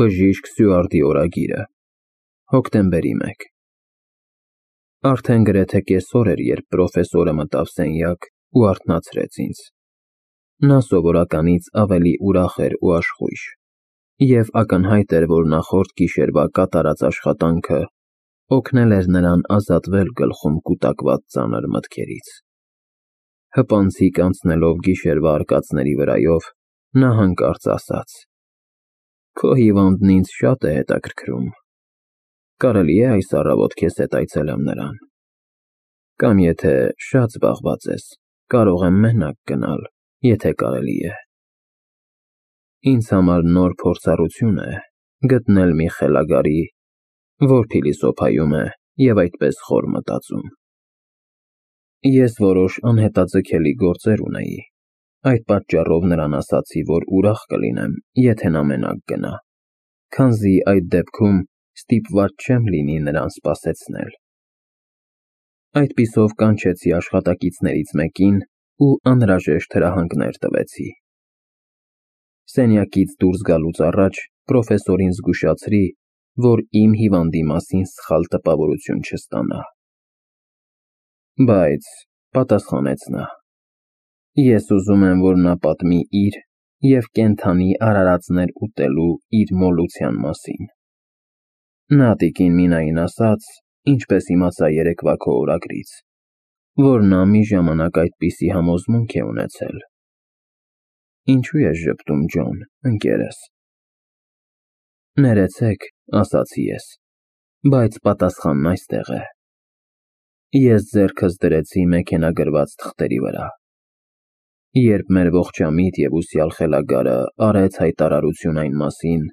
Բժիշկ Սյուարտի օրագիրը, հոկտեմբերի 1։ Արդեն գրեթե կեսօր էր, երբ պրոֆեսորը մտավ սենյակ ու արթնացրեց ինձ։ Նա սովորականից ավելի ուրախ էր ու աշխույժ, և ակնհայտ էր, որ նախորդ գիշերվա կատարած աշխատանքը օգնել էր նրան ազատվել գլխում կուտակված ծանր մտքերից։ Հպանցիկ անցնելով գիշերվա արկածների վրայով, նա հանկարծ ասաց. «Քո հիվանդն ինձ շատ է հետաքրքրում, կարելի է այս առավոտ քեզ հետ այցելեմ նրան, կամ եթե շատ զբաղված ես, կարող եմ մենակ գնալ, եթե կարելի է»։ Ինձ համար նոր փորձառություն է գտնել մի խելագարի, որ փիլիսոփայում է և այդպես խոր մտածում։ Ես որոշ անհետաձգելի գործեր ունեի, այդ պատճառով նրան ասացի, որ ուրախ կլինեմ, եթե նա մենակ գնա, քանզի այդ դեպքում ստիպված չեմ լինի նրան սպասեցնել։ Այդպիսով կանչեցի աշխատակիցներից մեկին ու անհրաժեշտ հրահանգներ տվեցի։ Սենյակից դուրս գալուց առաջ պրոֆեսորին զգուշացրի, որ իմ հիվանդի մասին սխալ տպավորություն չստանա։ Բայց, պատասխանեց նա, ես ուզում եմ, որ նա պատմի իր և կենդանի արարածներ ուտելու իր մոլության մասին։ Նա տիկին Մինային ասաց, ինչպես իմացա երեկվա քո օրագրից, որ նա մի ժամանակ այդպիսի համոզմունք է ունեցել։ Ինչու ես ժպտում, Ջոն, ընկերս։ Ներեցեք, ասացի ես, բայց պատասխանն այստեղ է։ Ես ձեռքս դրեցի մեքենագրված թղթերի վրա։ Երբ մեր ողջամիտ և ուսյալ խելագարը արեց հայտարարություն այն մասին,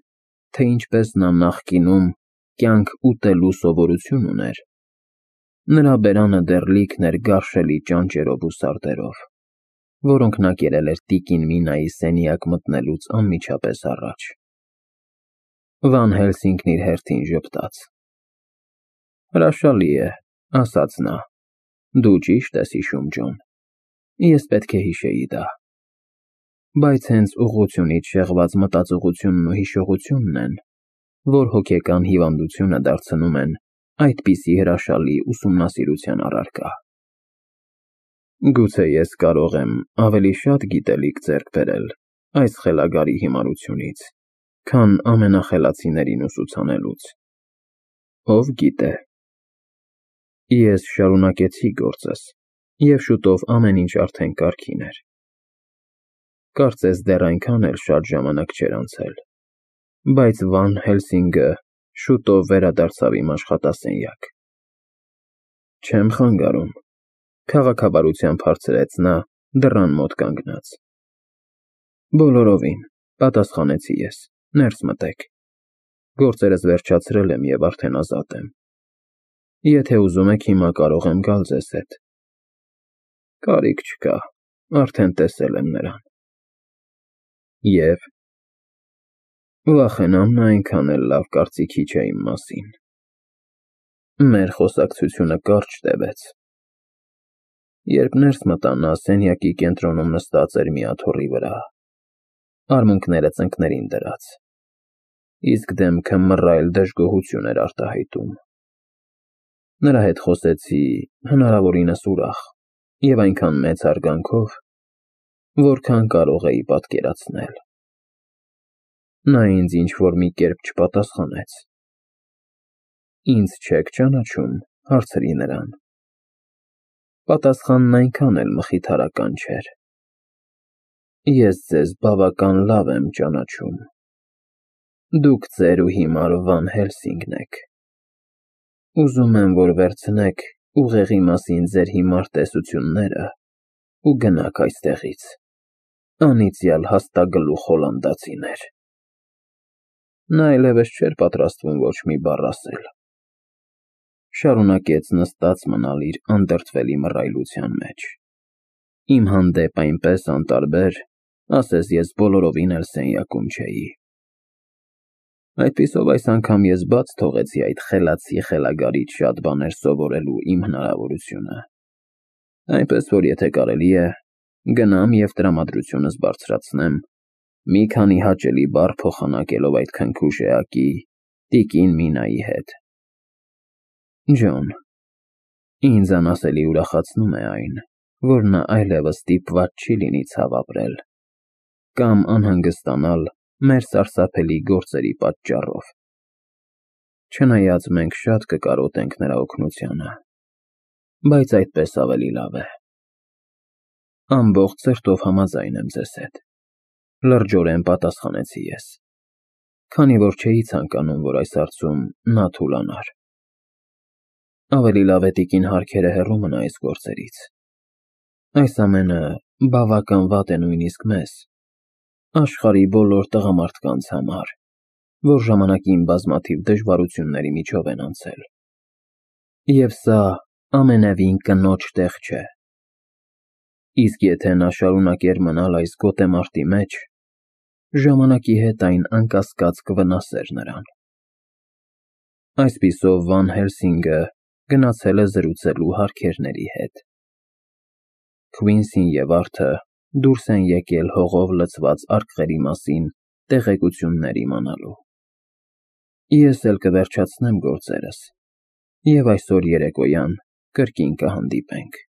թե ինչպես նա նախկինում կյանք ուտելու սովորություն ուներ, նրա բերանը դեռ լիքն էր գարշելի ճանճերով ու սարդերով, որոնք նա կերել էր տիկին Մինայի սենյակ մտնելուց անմիջապես առաջ։ Վան Հելսինգն իր հերթին ժպտաց։ Հրաշալի է, ասաց նա, դու ճիշտ ես հիշում, Ջոն, ես պետք է հիշեի դա։ Բայց հենց ուղղությունից շեղված մտածողությունն ու հիշողությունն են, որ հոգեկան հիվանդությունը դարձնում են այդպիսի հրաշալի ուսումնասիրության առարկա։ Գուցե ես կարող եմ ավելի շատ գիտելիք ձեռք բերել այս խելագարի հիմարությունից, քան ամենախելացիներին ուսուցանելուց։ Ով գիտե։ Ես շարունակեցի գործս, և շուտով ամեն ինչ արդեն կարգին էր։ Կարծես դեռ այնքան էլ շատ ժամանակ չէր անցել, բայց Վան Հելսինգը շուտով վերադարձավ իմ աշխատասենյակ։ Չեմ խանգարում, քաղաքավարությամբ հարցրեց նա, դռան մոտ կանգնած։ Բոլորովին, պատասխանեցի ես, ներս մտեք։ Գործերս վերջացրել եմ և արդեն ազատ եմ։ Եթե ուզում եք, հիմա կարող եմ գալ ձեզ հետ։ Կարիք չկա, արդեն տեսել եմ նրան։ Եվ վախենամ, նա այնքան էլ լավ կարծիքի չէ իմ մասին։ Մեր խոսակցությունը կարճ տևեց։ Երբ ներս մտա, նա սենյակի կենտրոնում նստած էր մի աթոռի վրա, արմունկները ծնկներին դրած, իսկ դեմքը մռայլ դժգոհություն էր արտահայտում։ Նրա հետ խոսեցի հնարավորինս ուրախ և այնքան մեծ հարգանքով, որքան կարող էի պատկերացնել։ Նա ինձ ինչ-որ մի կերպ չպատասխանեց։ Ինձ չեք ճանաչում, հարցրի նրան։ Պատասխանն այնքան էլ մխիթարական չէր։ Ես ձեզ բավական լավ եմ ճանաչում։ Դուք ծեր ու հիմար Վան Հելսինգն եք։ Ուզում եմ, որ վերցնեք ուղեղի մասին ձեր հիմար տեսությունները ու գնաք այստեղից, անիծյալ հաստագլուխ հոլանդացիներ։ Նա այլևս չէր պատրաստվում ոչ մի բառ ասել։ Շարունակեց նստած մնալ իր անդրդվելի մռայլության մեջ։ Իմ հանդեպ այնպես անտարբեր, ասես ես բոլորովին էլ սենյակում չէի։ Այդպիսով այս անգամ ես բաց թողեցի այդ խելացի խելագարից շատ բաներ սովորելու իմ հնարավորությունը։ Այնպես որ եթե կարելի է, գնամ և տրամադրությունս բարձրացնեմ, Մի քանի հաճելի բառ փոխանակելով այդ քնքուշ էակի տիկին Մինայի հետ։ Ջոն, ինձ անասելի ուրախացնում է այն, որ նա այլևս ստիպված չի լինի ցավ ապրել կամ անհանգստանալ մեր սարսափելի գործերի պատճառով։ Չնայած մենք շատ կկարոտենք նրա օգնությանը, բայց այդպես ավելի լավ է։ Ամբողջ սրտով համաձայն եմ ձեզ հետ, լրջորեն պատասխանեցի ես, քանի որ չէի ցանկանում, որ այս հարցում նա թուլանար։ Ավելի լավ է տիկին Հարքերը հեռու մնա այս գործերից։ Այս ամենը բավական վատ է նույնիսկ մեզ, աշխարհի բոլոր տղամարդկանց համար, որ ժամանակին բազմաթիվ դժվարությունների միջով են անցել։ Եվ սա ամենևին կնոջ տեղ չէ։ Իսկ եթե նա շարունակեր մնալ այս գոտեմարտի մեջ, ժամանակի հետ այն անկասկած կվնասեր նրան։ Այսպիսով Վան Հելսինգը գնացել է զրուցելու Հարքերների հետ։ Քվինսին և Արթը դուրս են եկել հողով լցված արկղերի մասին տեղեկություններ իմանալու։ Ես էլ կվերջացնեմ գործերս, և այսօր երեկոյան կրկին կհանդիպենք։